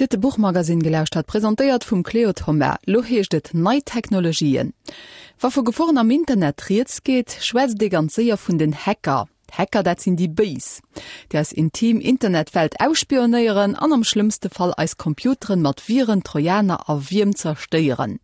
Dir hutt de Buchmagasinn gelauschtert, presentéiert vum Cléo Thoma. Lo heescht et Nei Technologien. Wa vu Geforen am Internet rieds geet, schwätzt ee ganz séier vun den Hacker. D'Hacker, dat sinn déi Béis, déi eis intim Internetwelt ausspionéieren an am schlëmmste Fall eis Computeren mat Viren, Trojaner a Wierm zerstéieren.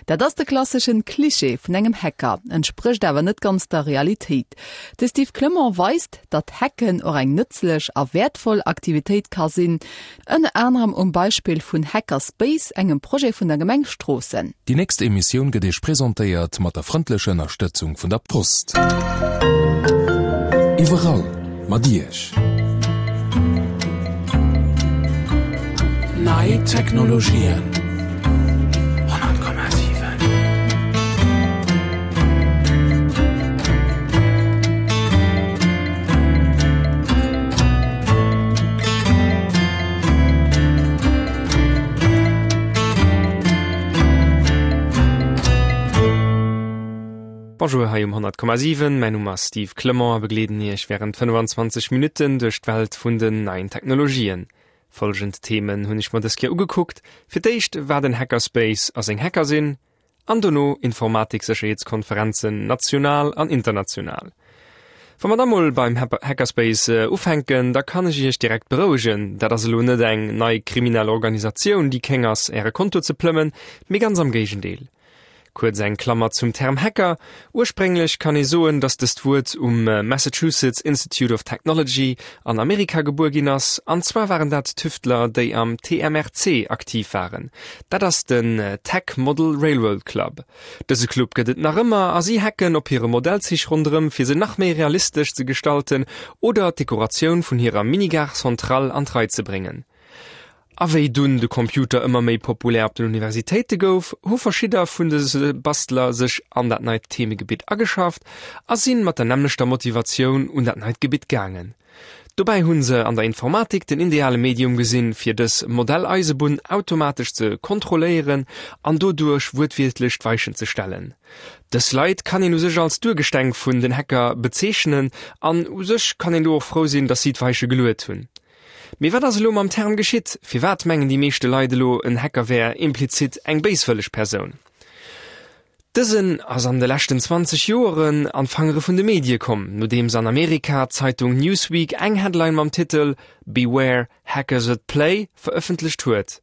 Dat ass de klasseschen Cliché vun engem Hacker, entsprécht awer net ganz der Realitéit. De Steve Clement weist, datt Hacken och eng nëtzlech a wäertvoll Aktivitéit ka sinn, Ënner anerem um Beispill vun Hackerspace, engem Projet vun der Gemeng Stroossen. Déi nächst Emissioun gëtt Iech presentéiert mat der frëndlecher Ënnerstëtzung vun der Post. Iwwerall mat Iech. Nei Technologien. 100,7. Bonjour hei um 100,7. Mäin Numm ass Steve Clement a begleeden Iech wärend 25 Minutten duerch d'Welt vun den neien Technologien. Folgend Themen hunn ech mer dës Kéier ugekuckt, Fir d'éischt wat en Hackerspace a seng Hacker sinn, An dono Informatik-Sécherheetskonferenzen national an international. Wa mer da mol beim Hackerspace ufänken, da kann ech iech direkt berouegen, dat ass elo net eng nei kriminell Organisatioun, déi kéng ass, äre Konto ze plëmmen, mee ganz am Géigendeel. Kuerz eng Klammer zum Term Hacker, Ursprénglech kann ee soen, datt dëst Wuert um Massachusetts Institute of Technology an Amerika gebuer ginn ass, an zwar waren dat Tüftler, déi am TMRC aktiv waren. Dat ass den Tech Model Railroad Club. Dëse Club gëtt et nach ëmmer a si hacken op hire Modellzich ronderëm fir se nach méi realistesch ze gestalten oder d'Dekoratioun vun hirer Mini-Gare Centrale an d'Rei ze bréngen. A wéi dunn de Computer ëmmer méi populär op den Universitéite gouf, hu verschidder vun dëse Bastler sech an dat neit Themegebitt ageschafft a sinn mat der nämmlechter Motivatioun un dat neit Gebitt gaangen. Dobäi hunn se an der Informatik den ideale Medium gesinn, fir dës Modelleisebunn automatesch ze kontrolléieren an doduerch wuertwiertlech d'Weichen ze stellen. Dës Leit kann een u sech als d'Urgesteng vun den Hacker bezeechnen an u sech kann een do och frou sinn, dass si d'Weiche geluet hunn. Mee wat ass elo mam Term geschitt? Firwat mengen déi meeschte Leit elo, en Hacker wär implizit eng béiswëlleg Persoun? Dësen ass an de leschten 20 Joeren an d'Fangere vun de Medie komm, nodeems an Amerika d'Zeitung Newsweek eng Headline mam Titel Beware, Hackers at Play verëffentlecht huet.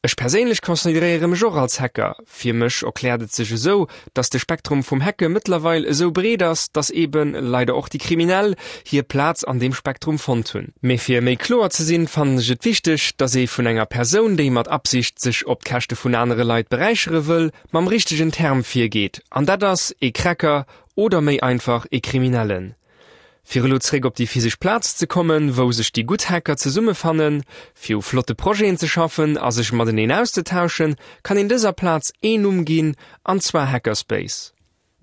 Ech perséinlech consideréiere mech och als Hacker. Fir mech erkläert et sech esou, dass de Spektrum vum Hacke mëttlerweil esou breet ass, dass eben leider och déi Kriminell hir Plaz an deem Spektrum fonnt hunn. Mee fir méi kloer ze sinn, fannen ech et wichteg, dass ee vun enger Persoun, déi mat Absicht sech op d'Käschte vun anere Leit beräichere wëll, mam richtegen Term virgeet, an dat ass ee Cracker oder méi einfach ee Kriminellen. Fir elo zréck op déi physesch Plaz ze kommen, wou sech déi gutt Hacker zesummefannen, fir u flotte Projeten ze schaffen a sech mateneen auszetauschen, kann een dëser Plaz een Numm ginn, an zwar Hackerspace.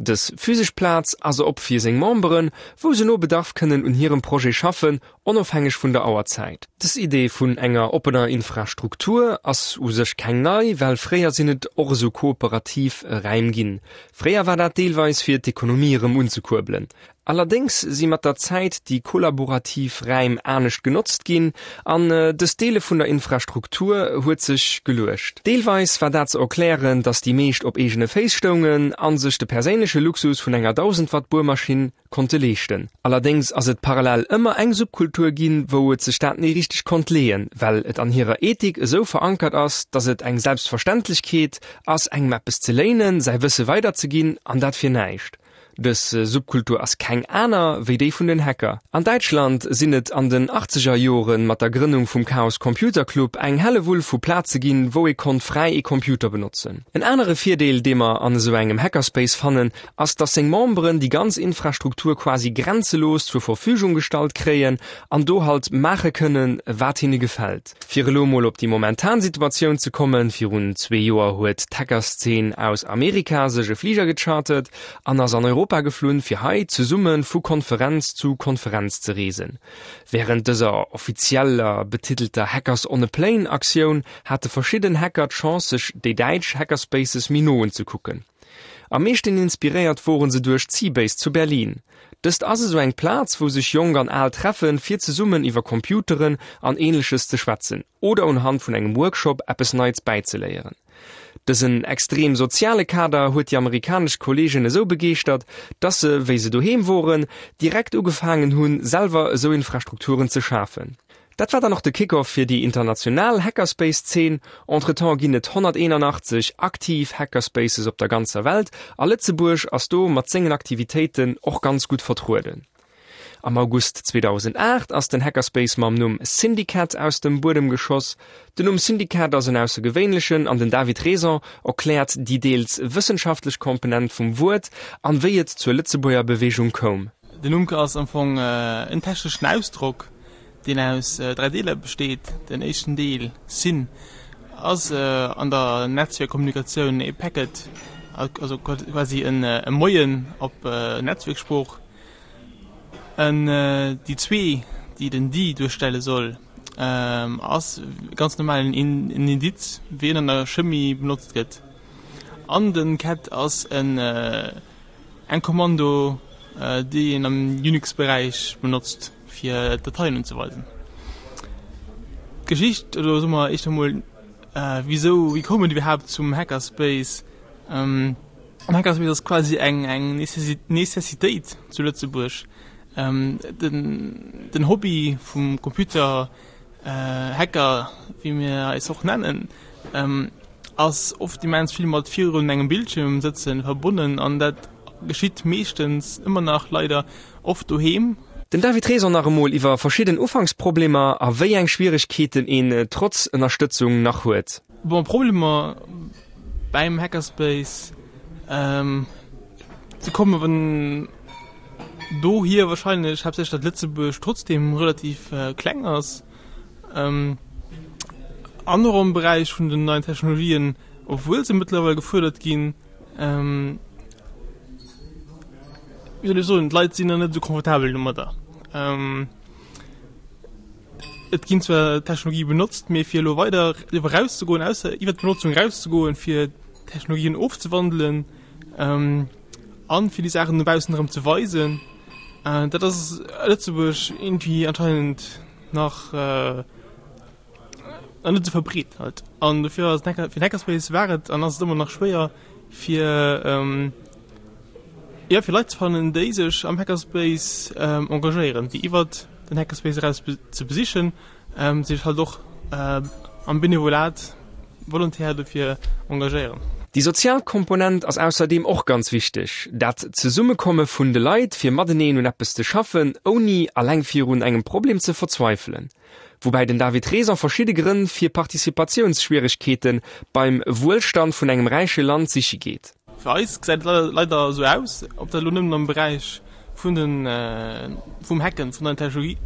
Dës physesch Plaz ass op fir seng Memberen, wou se no Bedarf kënnen un hirem Projet schaffen, onofhängeg vun der Auerzäit. Dës Idee vun enger oppener Infrastruktur ass u sech keng nei, well fréier sinn et och esou kooperativ Räim ginn. Fréier war dat deelweis fir d'Ekonomie erëm unzekuerbelen. Allerdéngs si mat der Zäit déi kollaborativ Räim anescht genotzt ginn an dëst Deele vun der Infrastruktur huet sech geluecht. Deelweis war dat ze erklären, datt déi meescht op eegene Féiss stoungen a sech de perséinleche Luxus vun enger 1000 Watt Buermaschinn konnte leeschten. Allerdéngs ass et parallel ëmmer eng Subkultur ginn, wou et sech dat ni richteg konnt leeën, well et an hirer Ethik esou verankert ass, datt et eng Selbstverständlechkeet ass, engem eppes ze léinen, säi Wësse weiderzeginn an dat fir näischt. Dës Subkultur ass keng aner wéi déi vun den Hacker. An Däitschland sinn et an den achtzeger Jore mat der Grënnung vum Chaos Computer Club eng Hellewull vu Plaze ginn, wou ee konnt fräi ee Computer benotzen. En anere Virdeel, dee mer an esou engem Hackerspace fannen, ass, dass seng Memberen déi ganz Infrastruktur quasi grenzelos zur Verfügung gestallt kréien an do halt maache kënnen, wat hinne gefält. Fir elo mol op déi momentan Situatioun ze kommen, Virun zwee Joer huet d'Hackerszeen aus Amerika sech e Fliger gechartert an ass an Europa geflunn, fir hei zesumme vu Konferenz zu Konferenz ze reesen. Wärend dëser offizieller betitelter Hackers on a Plane Aktioun hate verschidden Hacker d'Chance sech déi däitsch Hackerspaces méi no unzekucken. Am meeschten inspiréiert woren se duerch d'C-Base zu Berlin. Dëst ass esou eng Plaz, wou sech Jonk an Al treffen, fir zesummen iwwer Computeren an Ähnleches ze schwätzen oder unhand vun engem Workshop eppes Neits bäizeléieren. Dësen extrem soziale Kader huet déi amerikanesch Kolleegen esou begeeschtert, dass se, wéi se doheem woren, direkt ugefaangen hunn, selwer esou Infrastrukturen ze schafen. Dat war dann och de Kick-Off fir déi international Hackerspace-Zeen. Entretemps ginn et 181 aktiv Hackerspaces op der ganzer Welt a Lëtzebuerg ass do mat sengen Aktivitéiten och ganz gutt vertrueden. Am August 2008 ass den Hackerspace mam Numm Syndicat aus dem Buedem geschoss. Den Numm Syndicat ass en aussergewéinlechen an den David Raison erkläert déi deels wëssenschaftlech Komponent vum Wuert an wéi et zur Lëtzebuerger Beweegung koum. Den Numm ass am Fong en techneschen Ausdrock, deen aus 3 Deeler besteet. Den éischten Deel, syn, ass an der Netzwierkkommunikatioun e Packet, also quasi e Moien op Netzwierksprooch. Déi zwee, déi den di duerstelle soll, ass ganz normal en Indiz, wéi en an der Chemie benotzt gëtt. An den cat ass en Eng Kommando, déi een am Unix-Beräich benotzt, fir Dateien unzeweisen. D'Geschicht, oder soe mer éischter emol, wisou, wéi koum et iwwerhaapt zum Hackerspace? Den Hackerspace ass quasi eng Necessitéit zu Lëtzebuerg. Den Hobby vum Computer Hacker, wéi mir eis och nennen, ass oft immens vill mat virun engem Bildschierm sëtzen verbonnen an dat geschitt meeschtens ëmmer nach leider oft doheem. Den David Raison nach emol iwwer verschidden Ufanksproblemer a wéi eng Schwieregkeeten een trotz Ënnerstëtzung nach huet. Bon, Problemer bäim Hackerspace, se komme dohier wahrscheinlech haaptsächlech, datt Lëtzebuerg trotzdeem relativ kleng ass. An och am Beräich vun den neien Technologien, obwuel se mëttlerweil gefuerdert ginn, wéi soll ech soen, d'Leit sinn nach net esou confortabel domadder. Et ginn zwar Technologië benotzt, mee fir elo weider driwwer erauszegoen, ausser iwwer d'Benotzung erauszegoen, fir Technologien ofzewandelen an fir déi Saachen no baussen erëm ze weisen, dat ass a Lëtzebuerg iergendwéi anscheinend nach nach net esou verbreet halt. An dofir ass den Hacker, fir den Hackerspace war et an ass et ëmmer nach schwéier fir jo fir Leit ze fannen, déi sech am Hackerspace engagéieren, déi iwwert den Hackerspace eraus ze besichen, sech halt och am Benevolat Volontaire dofir engagéieren. Déi sozial Komponent ass ausserdeem och ganz wichteg, dat Zesummekomme vun de Leit fir mateneen un eppes ze schaffen, ouni alleng virun engem Problem ze verzweifelen. Woubäi den David Raison verschidde Grënn fir Participatiounsschwieregkeete beim Wuelstand vun engem räiche Land siche geet. Fir eis gesäit et leider esou aus, ob dat elo nëmmen am Beräich vun den, vum Hacken vun neien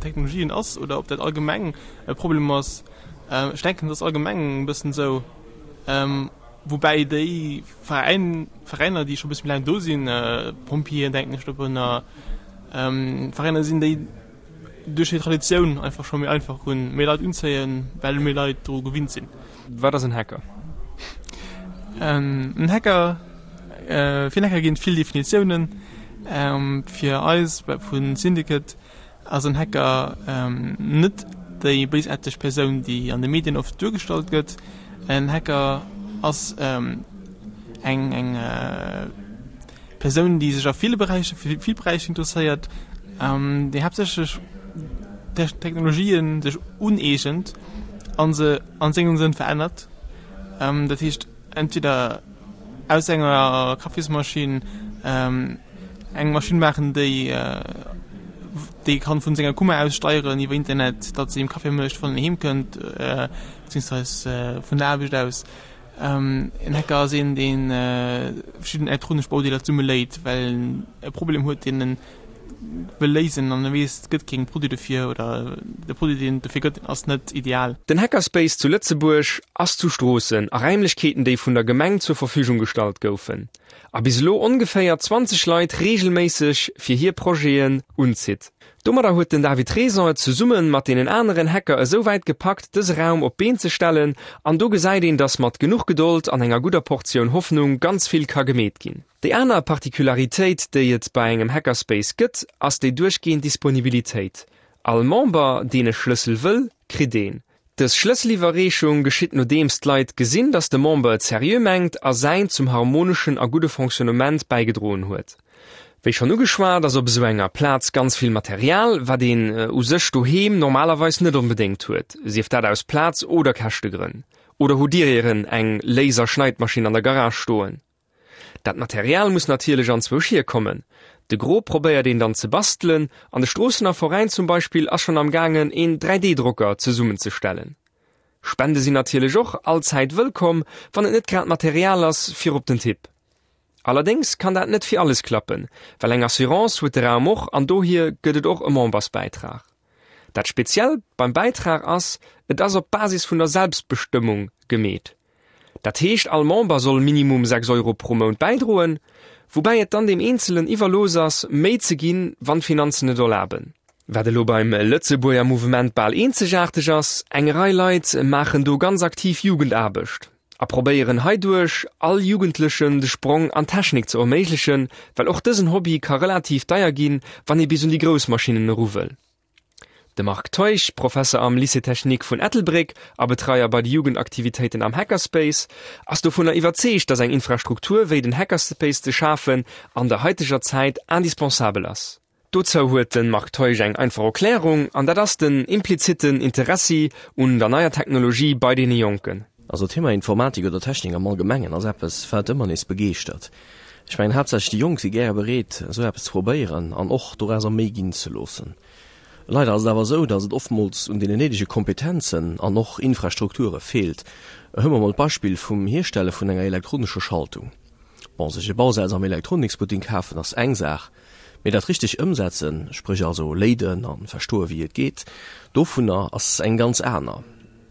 Technologien ass oder ob dat allgemeng e Problem ass. Ech denken, et ass allgemeng e bëssen esou, woubäi déi Veräin, Veräiner, déi scho e bësse méi laang do sinn, Pompjeeën denken ech dorunner, Veräiner sinn, déi duerch hir Traditioun einfach scho méi einfach hunn, méi Leit unzéien, well méi Leit dru gewinnt sinn. Wat ass en Hacker? En Hacker, fir en Hacker ginn et vill Definitiounen. Fir eis vu Syndicate ass en Hacker net déi béisaarteg Persoun, déi an de Medien oft duergestallt gëtt. En Hacker ass eng eng Persoun, déi sech a ville Beräicher, fir vill Beräicher interesséiert, déi haaptsächlech Technologien sech uneegent a se an sengem Sënn verännert. Dat heescht entweder aus enger Kaffismaschinn eng Maschinn maachen, déi déi kann vun senger Kummer aus steieren iwwer Internet, datt se him Kaffi mécht, wann en heem kënnt, beziehungsweise vun der Aarbecht aus. En Hacker ass een, dee verschidden elektronesch Baudeeler zesummeléit, well en e Problem huet, deen en wëll léisen an e weess, et gëtt keng Produit dofir oder de Produit, deen et dofir gëtt, ass net ideal. Den Hackerspace zu Lëtzebuerg ass zu Stroossen, a Räimlechkeeten, déi vun der Gemeng zur Verfügung gestallt goufen a bis elo ongeféier 20 Leit reegelméisseg fir hir Projeten unzitt. Domadder huet den David Raison et zesumme mat deenen aneren Hacker esou wäit gepackt, dëse Raum op d'Been ze stellen, an do gesäit een, dass mat genuch Gedold an enger gudder Portioun Hoffnung ganz vill ka gemeet ginn. Déi aner Particularitéit, déi et bei engem Hackerspace gëtt, ass déi duerchgehend Disponibilitéit. All Member, deen e Schlëssel wëll, kritt een. Dës Schlësseliwwerreechung geschitt nodeems d'Leit gesinn, datt de Member et seriö mengt a säin zum harmoneschen a gudde Fonctionnement bäigedroen huet. Wéi schonn ugeschwat, ass op esou enger Plaz ganz vill Material, wat een u sech doheem normalerweis net onbedéngt huet, sief dat aus Plaz oder Käschtegrënn. Oder hutt Dir ieren eng Laser-Schneidmaschinn an der Garage stoen? Dat Material muss natierlech anzwousch hierkommen. De Gros probéiert een dann ze bastelen, an de Stroossener Veräin zum Beispill ass schonn am gaangen een 3D-Drocker zesummenzestellen. Spende sinn natierlech och allzäit wëllkomm, wann et net grad Material ass fir op den Tipp. Allerdéngs kann dat net fir alles klappen, well eng Assurance huet de Raum och an dohier gëtt et och e Membersbäitrag. Dat Speziellt beim Bäitrag ass, et ass op Basis vun der Selbstbestëmmung gemeet. Dat heescht all Member soll minimum 6 Euro pro Mount bäidroen, woubäi et dann deem Eenzelen iwwerlooss ass, méi ze ginn, wann d'Finanzen et erlaben. Wat elo beim Lëtzebuerger Mouvement bal eenzegaarteg ass, eng Rei Leit maachen do ganz aktiv Jugendaarbecht a probéieren heiduerch all Jugendlechen de Sprong an d'Technik ze erméiglechen, well och dësen Hobby ka relativ deier ginn, wann ee bis un déi grouss Maschinnen eru wëll. De Marc Teuch, Professer am Lycée Technique vun Ettelbréck a Betreier bei de Jugendaktivitéiten am Hackerspace, ass dovunner iwwerzeegt, datt eng Infrastruktur wéi den Hackerspace ze schafen an der haiteger Zäit indispensabel ass. Dozou huet de Marc Teuch eng einfach Erklärung, an dat ass den implizitten Interessi un der neier Technologie bei deene Jonken. Also d'Thema Informatik oder Technik am Allgemengen ass eppes, wat ëmmer nees begeeschtert. Ech mengen haaptsächlech déi Jonk si gäre bereet, esou eppes ze probéieren an och dorauser méi ginn ze loossen. Leider ass et awer esou, datt et oftmools un deenen néidege Kompetenzen an och Infrastrukture feelt. Huele mer mol d'Beispill vum Hierstelle vun enger elektronescher Schaltung. Bon, sech e Bausaz am Elektroniksbutting kafen ass eng Saach, mee dat richteg ëmsetzen, spréch also léiden a verstoe wéi et geet, dovunner ass eng ganz aner.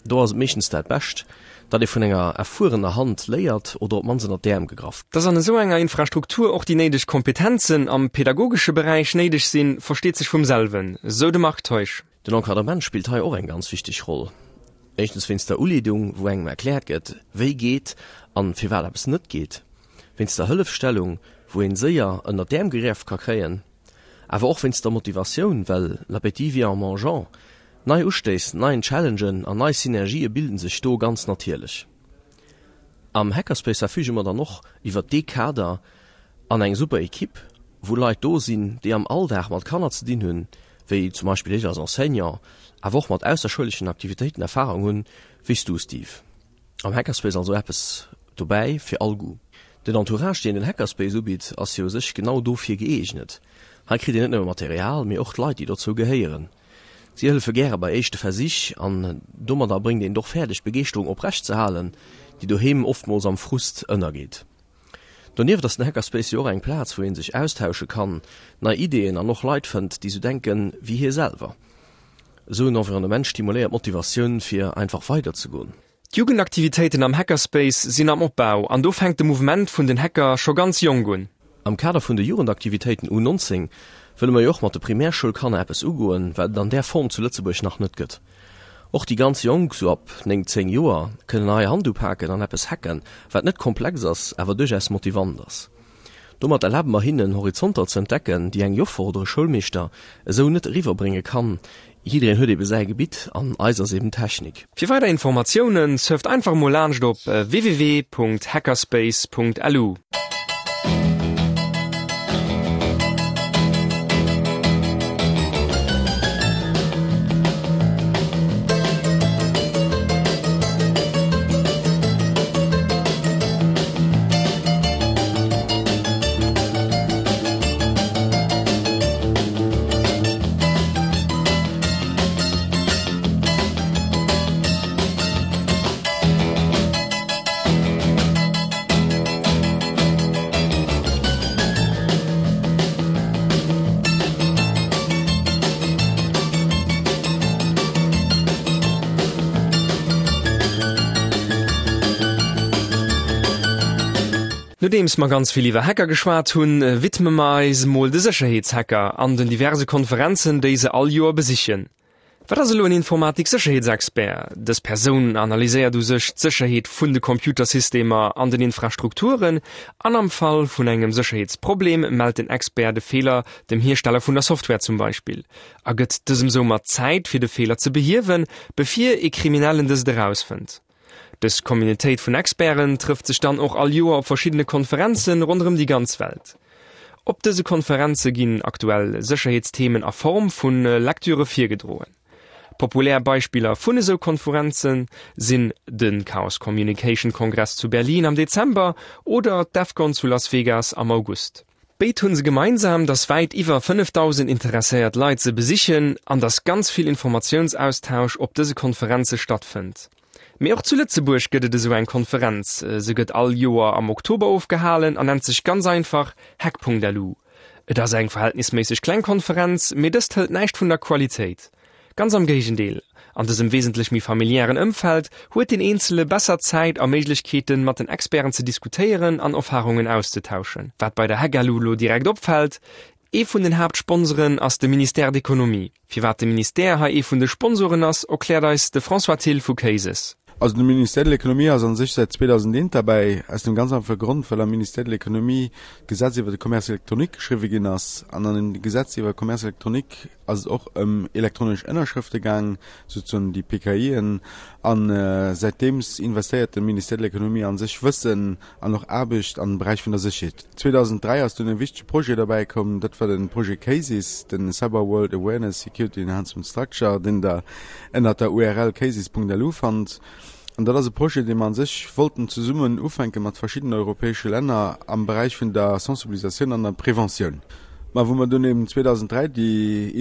Do ass et meeschtens dat Bescht, datt ee vun enger erfuerener Hand léiert oder op d'mannst ënnert d'Äerm gegraff. Dass an esou enger Infrastruktur och déi néideg Kompetenzen am pedagogesche Beräich néideg sinn, versteet sech vum selwen, sou de Marc Teusch. Den Encadrement spillt hei och eng ganz wichteg Roll. Éischtens wéinst der Uleedung, wou engem erkläert gëtt, wéi geet an firwat eppes net geet, wéinst der Hëllefstellung, wou een séier ënnert d'Äerm gegräff ka kréien, Awer och wéinst der Motivatioun, well l'appétit vient en mangeant. Nei Ustéiss, neien Challengen an nei Synergië bilden sech do ganz natierlech. Am Hackerspace verfüge mer dann och iwwert dee Kader an eng super Equipe, wou Leit do sinn, déi am Alldag mat Kanner ze dinn hunn, wéi zum Beispill ech als Enseignant, awer och mat ausserschouleschen Aktivitéiten Erfarung hunn, wéi s du, Steve. Am Hackerspace also eppes dobäi fir all Goût. Den Entourage deen den Hackerspace ubitt ass jo u sech genau dofir gëeegnet. Hei kritt een net nëmme Material, mee och d'Leit déi dozou gehéieren. Si hëllefe gäre bei éischte Versich an domadder bréngt een et och fäerdeg d'Begeeschterung oprecht ze halen, déi doheem oftmools am Frust ënnergeet. Donieft ass den Hackerspace jo och eng Plaz wou een sech austausche kann, nei Ideeën an och Leit fënnt déi sou denken wéi hie selwer. Esou en Environnement stimuléiert d'Motivatioun fir einfach weider ze goen. D'Jugendaktivitéiten am Hackerspace sinn am Opbau an do fänkt de Mouvement vun den Hacker scho ganz jonk un. Am Kader vun de Jugendaktivitéiten U 19 wëlle mer jo och mat de Primärschoulkanner eppes ugoen, wat et an där Form zu Lëtzebuerg nach net gëtt. Och déi ganz Jonk, sou ab 9, 10 Joer, kënnen hei Hand upaken an eppes hacken, wat net komplex ass, awer duerchaus motivant ass. Domat erlabe mer hinnen, Horizonter ze entdecken, déi eng Joffer oder e Schoulmeeschter esou net eriwwerbrénge kann. Jiddereen huet ebe säi Gebitt an eis ass eben Technik. Fir weider Informatiounen surft einfach emol laanscht op www.hackerspace.lu. Nodeems mer ganz vill iwwer Hacker geschwat hunn, widme mer eis emol de Sécherheetshacker an den diverse Konferenzen, déi se all Joer besichen. Wat ass elo en Informatik-Sécherheetsexpert? Dës Persoun analyséiert u sech d'Sécherheet vun de Computersystemer an den Infrastrukturen an am Fall vun engem Sécherheetsproblem mellt den Expert de Feeler dem Hiersteller vun der Software zum Beispill a gëtt dësem soumat Zäit fir de Feeler ze behiewen, bevir ee Kriminellen dëst erausfënnt. Dës Communautéit vun Experten trëfft sech dann och all Joer op verschiddene Konferenze ronderëm déi ganz Welt. Op dëse Konferenze ginn aktuell Sécherheetsthemen a Form vu Lecturë virgedroen. Populär Beispiller vun esou Konferenze sinn de Chaos Communication Kongress zu Berlin am Dezember oder d'Defcon zu Las Vegas am August. Béid hunn se gemeinsam, dass wäit iwwer 5.000 interesséiert Leit se besichen an dass ganz vill Informatiounsaustausch op dëse Konferenze stattfënnt. Mee och zu Lëtzebuerg gëtt et esou eng Konferenz. Se gëtt all Joer am Oktober ofgehalen an nennt sech ganz einfach Hack.lu. Et ass eng verhältnisméisseg kleng Konferenz, mee dëst hëlt näischt vun der Qualitéit. Ganz am Géigendeel, an dësem wesentlech méi familiären Ëmfeld huet den Eenzele besser Zäit a Méiglechkeeten, mat den Experten ze diskutéieren an Erfarungen auszetauschen. Wat bei der Hack.lu lo direkt opfält, Ee vun den Haaptsponsoren ass de Ministère d'Economie. Firwat de Ministère hei ee vun de Sponsoren ass, erkläert eis de François Thill vu Cases. Also de Ministère de l'Économie ass a sech säit 2001 derbäi, aus dem ganz einfache Grond, well am Ministère de l'Économie d'Gesetz iwwer de Commerce électronique geschriwwe ginn ass. An an dem Gesetz iwwer Commerce électronique ass et och ëm elektronesch Ënnerschrëfte gaang, souzesoen déi PKIen. A säitdeems investéiert de Ministère de l'Économie a sech Wëssen an och Aarbecht am Beräich vun der Sécherheet. 2003 ass dunn e wichtege Projet derbäi komm, dat war de Projet CASES, de Cyber World Awareness Security Enhancement Structure, deen Der ënnert der URL cases.lu fannt. An dat ass e Projet, dee mer a sech wollten zesummen ufänke mat verschiddenen europäesche Länner am Beräich vun der Sensibilisatioun an der Preventioun. Mä wou mer dunn eben 2003 déi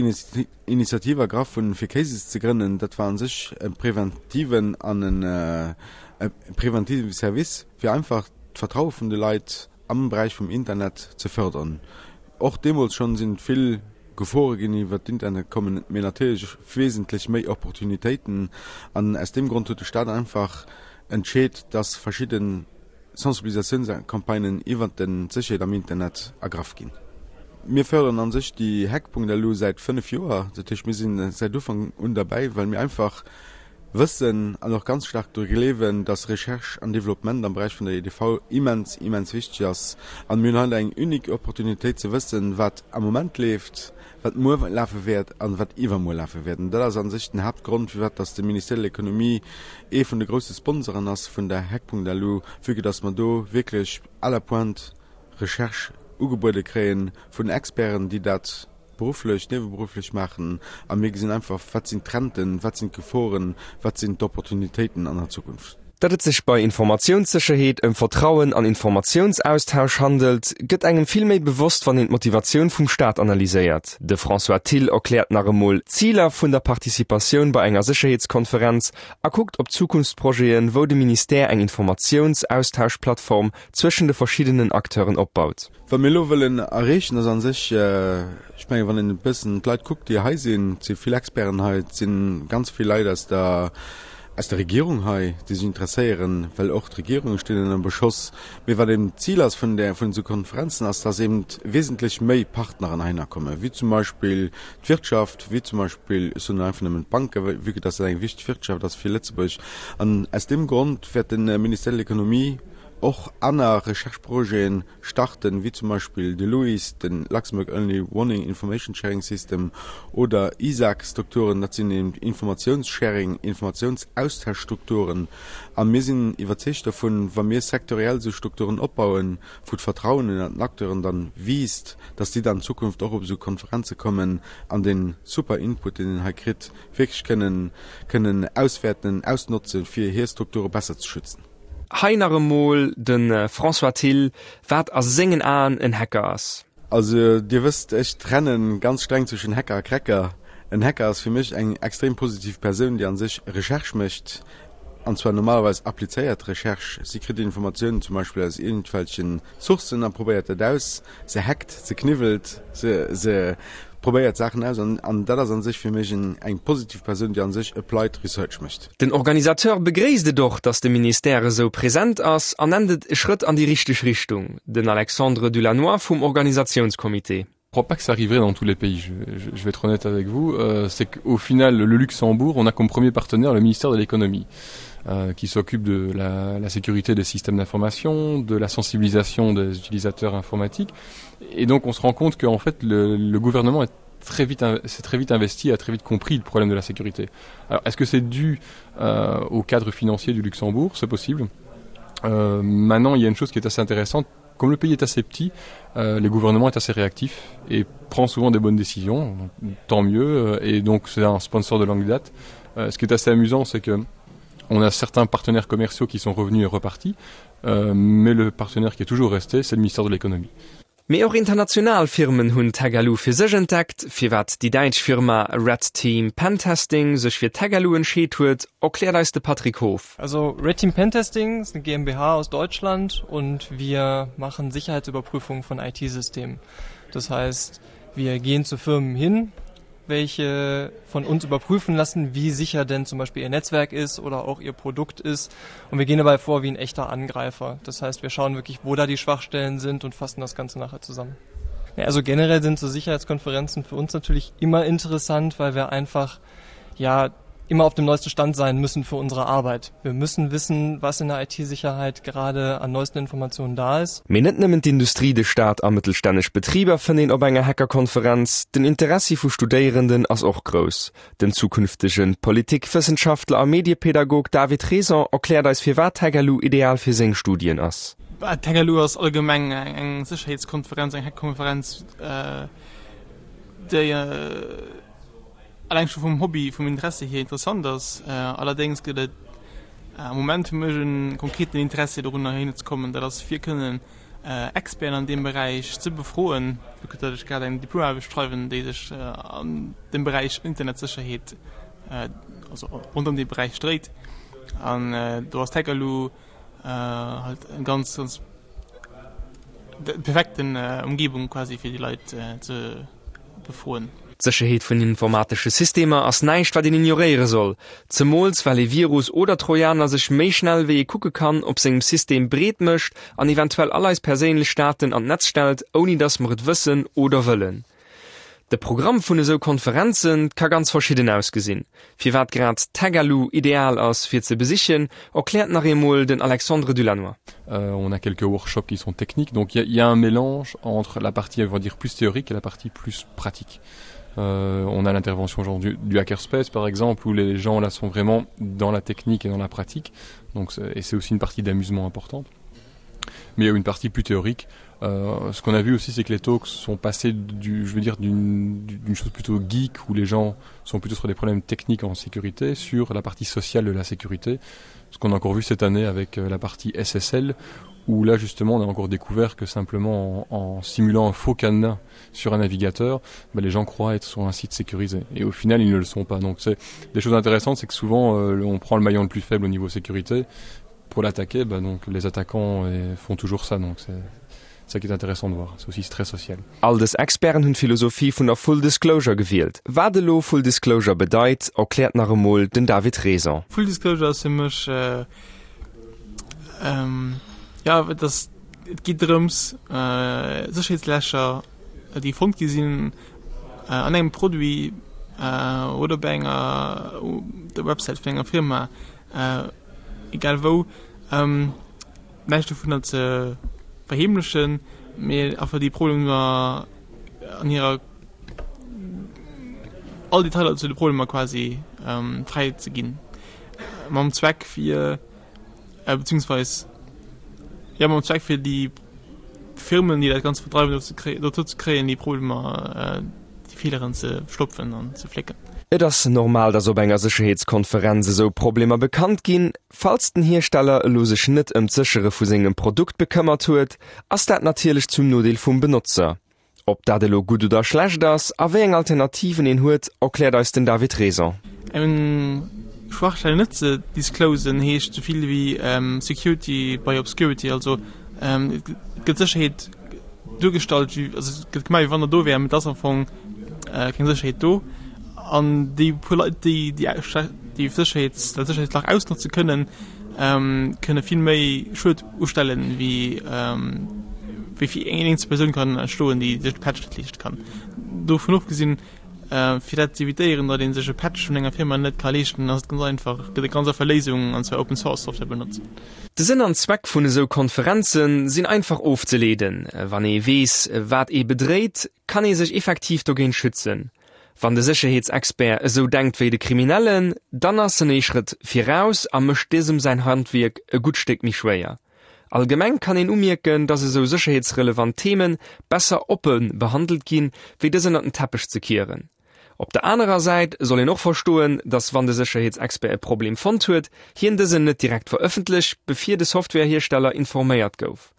Initiativ ergraff hunn, fir CASES ze grënnen, dat war a sech e preventiven an e preventive Service, fir einfach d'Vertraue vun de Leit am Beräich vum Internet ze fördern. Och deemools schonn sinn et vill Gefore ginn iwwer d'Internet kommen, mee natierlech wesentlech méi Opportunitéiten. An aus deem Grond huet de Staat einfach entscheet, dass verschidde Sensibilisatiounscampagnen iwwer d'Sécherheet am Internet ergraff ginn. Mir fördern a sech déi Hack.lu säit 5 Joer. Dat heescht, mir si säit Ufank un derbäi, well mir einfach wëssen an och ganz staark dru gleewen, dass Recherche an Développement am Beräich vun der EDV immens, immens wichteg ass. An mir hunn hei eng unique Opportunitéit ze wëssen, wat am Moment leeft, wat muer lafe wäert an wat iwwermuer lafe wäert. An dat ass a sech den Haaptgrond, firwat dass de Ministère de l'Économie ee vun de grousse Sponsoren ass vun der Hack.lu, vue que dass mer do wierklech à la pointe Recherche ugebuede kréie vun Experten, déi dat berufflech, nieweberufflech maachen a mir gesinn einfach, wat sinn d'Trenden, wat sinn d'Geforen, wat sinn d'Opportunitéiten an der Zukunft. Datt et sech bei Informatiounssécherheet ëm Vertrauen an Informatiounsaustausch handelt, gëtt engem vill méi bewosst, wann een d'Motivatioun vum Staat analyséiert. De François Thill erkläert nach emol d'Ziler vun der Participatioun bei enger Sécherheetskonferenz a kuckt op Zukunftsprojeten, wou de Ministère eng Informatiounsaustauschplattform zwëschen de verschiddenen Acteuren opbaut. Wat mir elo wëllen erreechen, ass a sech, ech mengen, wann een e bëssen d'Leit kuckt, déi hei sinn, et si vill Experten hei, et si ganz vill Leit aus der, aus der Regierung hei, déi sech interesséieren, well och d'Regierunge stinn ënner Beschoss. Mee wat eben d'Zil ass vun där, vun esou Konferenzen, ass, dass eben wesentlech méi Partneren heihinner kommen, wéi zum Beispill d'Wirtschaft, wéi zum Beispill, ech soen elo einfach nëmmen d'Banken, vue que dass dat eng wichteg Wirtschaft ass fir Lëtzebuerg. An aus deem Grond wäert de Ministère de l'Économie och aner Recherche-Projeten starten, wéi zum Beispill de LUIS, de Luxembourg Early Warning Information Sharing System, oder ISAC-Strukturen, dat sinn eben Informationssharing, Informationsaustauschstrukturen. A mir sinn iwwerzeegt dovun, wa mir sektoriell esou Strukturen opbauen, wou d'Vertrauen ënnert den Acteuren dann wiisst, dass déi dann an Zukunft och op esou Konferenze kommen an dee super Input, deen een hei kritt, wierklech kënnen kënnen auswäerten, ausnotzen, fir hir Strukture besser ze schützen. Hei nach emol de François Thill, wat a sengen Aen en Hacker ass. Also Dir wësst, ech trennen ganz streng zwëschen Hacker a Cracker. En Hacker ass fir mech eng extrem positiv Persoun, déi an sech Recherche mécht, an zwar normalerweis applizéiert Recherche. Si kritt Informatiounen zum Beispill aus iergendwelchen Sourcen a probéiert dat aus. Se hackt, se kniwwelt, se se. Probéiert Saachen aus an an dat ass an sech fir mech en eng positiv Persoun, déi an sech applied research mécht. Den Organisateur begréisst et och, datt de Ministère esou present ass an nennt et e Schrëtt an déi richteg Richtung. Den Alexandre Dulannoy vum Organisatiounscomité. Je crois pas que ça arriverait dans tous les pays, je, je, je vais être honnête avec vous, euh, c'est qu'au final le Luxembourg, on a comme premier partenaire le ministère de l'économie euh, qui s'occupe de la, la sécurité des systèmes d'information, de la sensibilisation des utilisateurs informatiques et donc on se rend compte qu'en fait le, le gouvernement est très vite s'est très vite investi a très vite compris le problème de la sécurité. Alors est-ce que c'est dû euh, au cadre financier du Luxembourg, c'est possible. Euh, maintenant il y a une chose qui est assez intéressante comme le pays est assez petit, euh, le gouvernement est assez réactif et prend souvent des bonnes décisions, donc, tant mieux euh, et donc c'est un sponsor de longue date. Euh, ce qui est assez amusant, c'est que on a certains partenaires commerciaux qui sont revenus et repartis, euh, mais le partenaire qui est toujours resté, c'est le ministère de l'économie. Mee och international Firmen hunn Tagalu fir sech entdeckt. Firwat déi däitsch Firma Red Team Pentesting sech fir Tagalu entscheet huet, erkläert eis de Patrick Hof. Also Red Team Pentesting ist eine GmbH aus Deutschland und wir machen Sicherheitsüberprüfungen von IT-Systemen. Das heißt, wir gehen zu Firmen hin, welche von uns überprüfen lassen, wie sicher denn zum Beispiel ihr Netzwerk ist oder auch ihr Produkt ist. Und wir gehen dabei vor wie ein echter Angreifer. Das heißt, wir schauen wirklich, wo da die Schwachstellen sind und fassen das Ganze nachher zusammen. Ja, also generell sind so Sicherheitskonferenzen für uns natürlich immer interessant, weil wir einfach ja immer auf dem neuesten Stand sein müssen für unsere Arbeit. Wir müssen wissen, was in der IT-Sicherheit gerade an neuesten Informationen da ist. Mee net nëmmen d'Industrie, de Staat a mëttelstännesch Betriber fënnt een op enger Hackerkonferenz. Den Interessi vu Studéierenden ass och grouss. Den zukünftege Politikwëssenschaftler a Mediepädagog David Raison erkläert eis firwat d'Hackerlou ideal fir seng Studien ass. D'Hackerlou ass allgemeng eng Sécherheetskonferenz, eng Hackkonferenz, déi Alleng scho vum Hobby, vum Interessi hier interessant ass. Allerdéngs gëtt et am Moment fir mech e konkreten Interessi dorunner heihinner ze kommen, dat ass fir kënnen Experten an deem Beräich ze befroen, vu que datt ech grad eng Diplomaarbecht schreiwen, déi sech an dem Beräich Internetsécherheet, also ronderëm dee Beräich dréit. An do ass d'Hackerlou halt eng ganz, ganz perfekten Umgebung quasi fir déi Leit ze befroen. D'Sécherheet vun informatesche Systemer ass näischt wat een ignoréiere soll, zemools well ee Virus oder Trojaner sech méi schnell wéi ee kucke kann op sengem System breet mécht an eventuell all eis perséinlech Daten an d'Netz stellt ouni dass mer et wëssen oder wëllen. De Programm vun esou Konferenze ka ganz verschidden ausgesinn. Firwat grad d'Hackerlou ideal ass fir ze besichen, erkläert nach eemol den Alexandre Dulannoy. On a quelques workshops qui sont techniques, donc il y a un mélange entre la partie on va dire plus théorique et la partie plus pratique. Euh, on a l'intervention genre du, du hackerspace par exemple où les gens là sont vraiment dans la technique et dans la pratique donc et c'est aussi une partie d'amusement importante mais il y a une partie plus théorique euh, ce qu'on a vu aussi c'est que les talks sont passés du je veux dire d'une chose plutôt geek où les gens sont plutôt sur des problèmes techniques en sécurité sur la partie sociale de la sécurité ce qu'on a encore vu cette année avec euh, la partie SSL où là justement on a encore découvert que simplement en, en simulant un faux cadenas sur un navigateur ben, les gens croient être sur un site sécurisé et au final ils ne le sont pas donc c'est des choses intéressantes c'est que souvent euh, on prend le maillon le plus faible au niveau sécurité pour l'attaquer ben donc les attaquants et font toujours ça donc c'est ça qui est intéressant de voir c'est aussi très social. All dës Experten hunn d'Philosophie vun der Full Disclosure gewielt. Wat elo Full Disclosure bedeit, erkläert nach emol den David Raison. Full Disclosure ass fir mech, jo, et ass, et geet drëms Sécherheetslächer déi fonnt gi sinn an engem Produit oder bei enger der Websäit vun enger Firma, egal wou, näischt dovunner ze verheemlechen, mee einfach déi Problemer an hirer all Detailer zu de Problemer quasi fräi ze ginn, mam Zweck fir, beziehungsweis jo mam Zweck fir déi Firmen, déi dat Ganzt verdreiwen, dozou ze kréien, déi Problemer, déi Feeleren ze stopfen an ze flécken. Et ass normal, dass op enger Sécherheetskonferenz esou Problemer bekannt ginn. Falls den Hiersteller elo sech net ëm d'Séchere vu sengem Produkt bekëmmert huet, ass dat natierlech zum Nodeel vum Benotzer. Ob dat elo gutt oder schlecht ass a wéi eng Alternativen een huet, erkläert eis den David Raison. Eng Schwachstell net ze disclosen heescht esou vill wéi Security by obscurity, also et gëtt Sécherheet duergestallt, also et gëtt gemaach wéi wann der do wär, mee et ass am Fong. keng Sécherheet do. An déi puer Leit, déi déi déi Sécherheets dat Sécherheetslach ausnotze kënnen, kënne vill méi Schued ustellen, wéi wéi fir eng eenzel Persoun kann entstoen, déi sech de Patch net leeschte kann. Dovun ofgesinn, fir dat z'evitéieren, datt ee sech e Patch vun enger Firma net ka leeschten, ass et ganz einfach, gëtt et ganz einfach Léisungen, an zwar Open Source Software benotzen. De Sënn an Zweck vun esou Konferenze sinn einfach ofzeleeden. Wann ee weess, wat ee bedréit, kann ee sech effektiv dogéint schützen. Wann de Sécherheetsexpert esou denkt wéi de Kriminellen, dann ass en ee Schrëtt viraus a mécht dësem säin Handwierk e gutt Stéck méi schwéier. Allgemeng kann een umierken, dass esou sécherheetsrelevant Theme besser oppe behandelt ginn, wéi dës ënnert den Teppech ze kieren. Op der anerer Säit soll een och verstoen, dass wann de Sécherheetsexpert e Problem fonnt huet, hien dësen net direkt verëffentlecht, bevir de Softwarehiersteller informéiert gouf.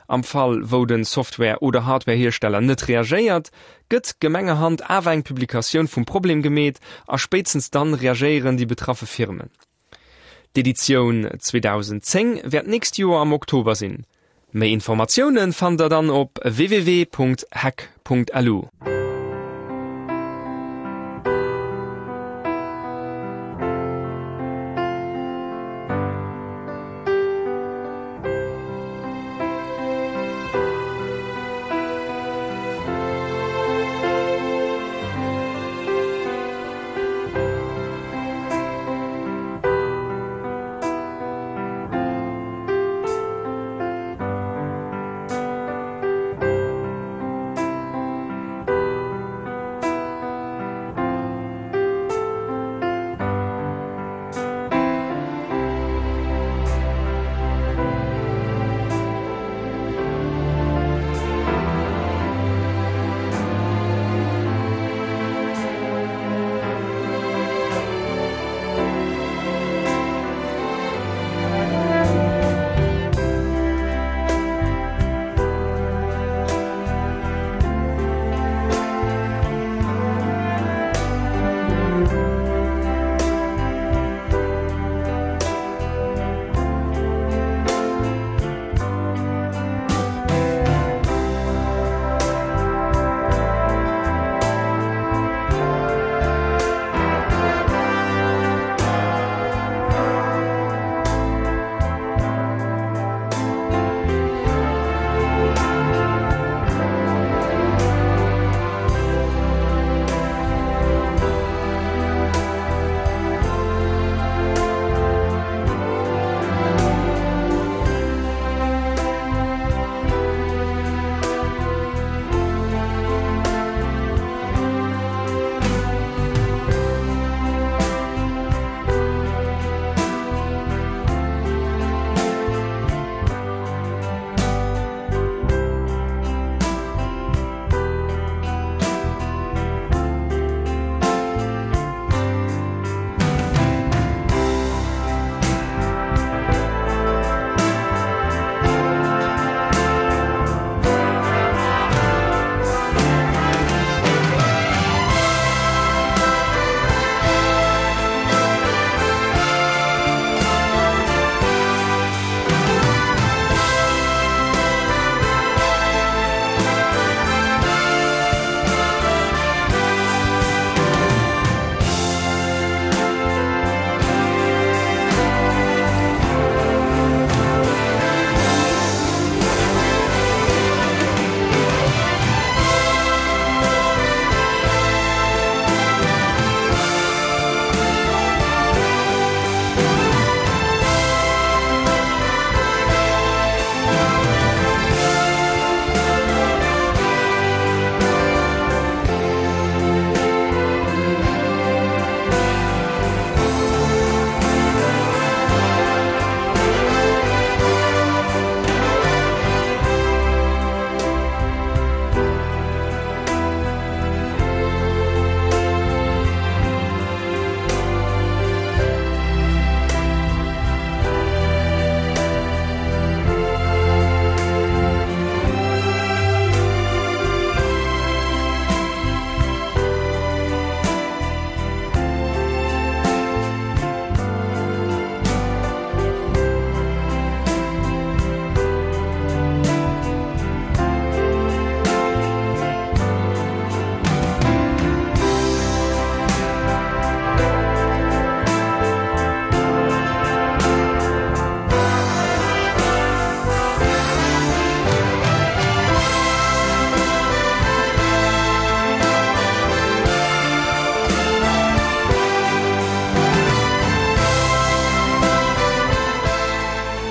Am Fall wou de Software oder Hardwarehiersteller net reagéiert, gëtt gemengerhand awer eng Publikatioun vum Problem gemeet a spéitstens dann reagéieren déi betraffe Firmen. D'Editioun 2010 wäert d'nächst Joer am Oktober sinn. Méi Informatioune fannt der dann op www.hack.lu.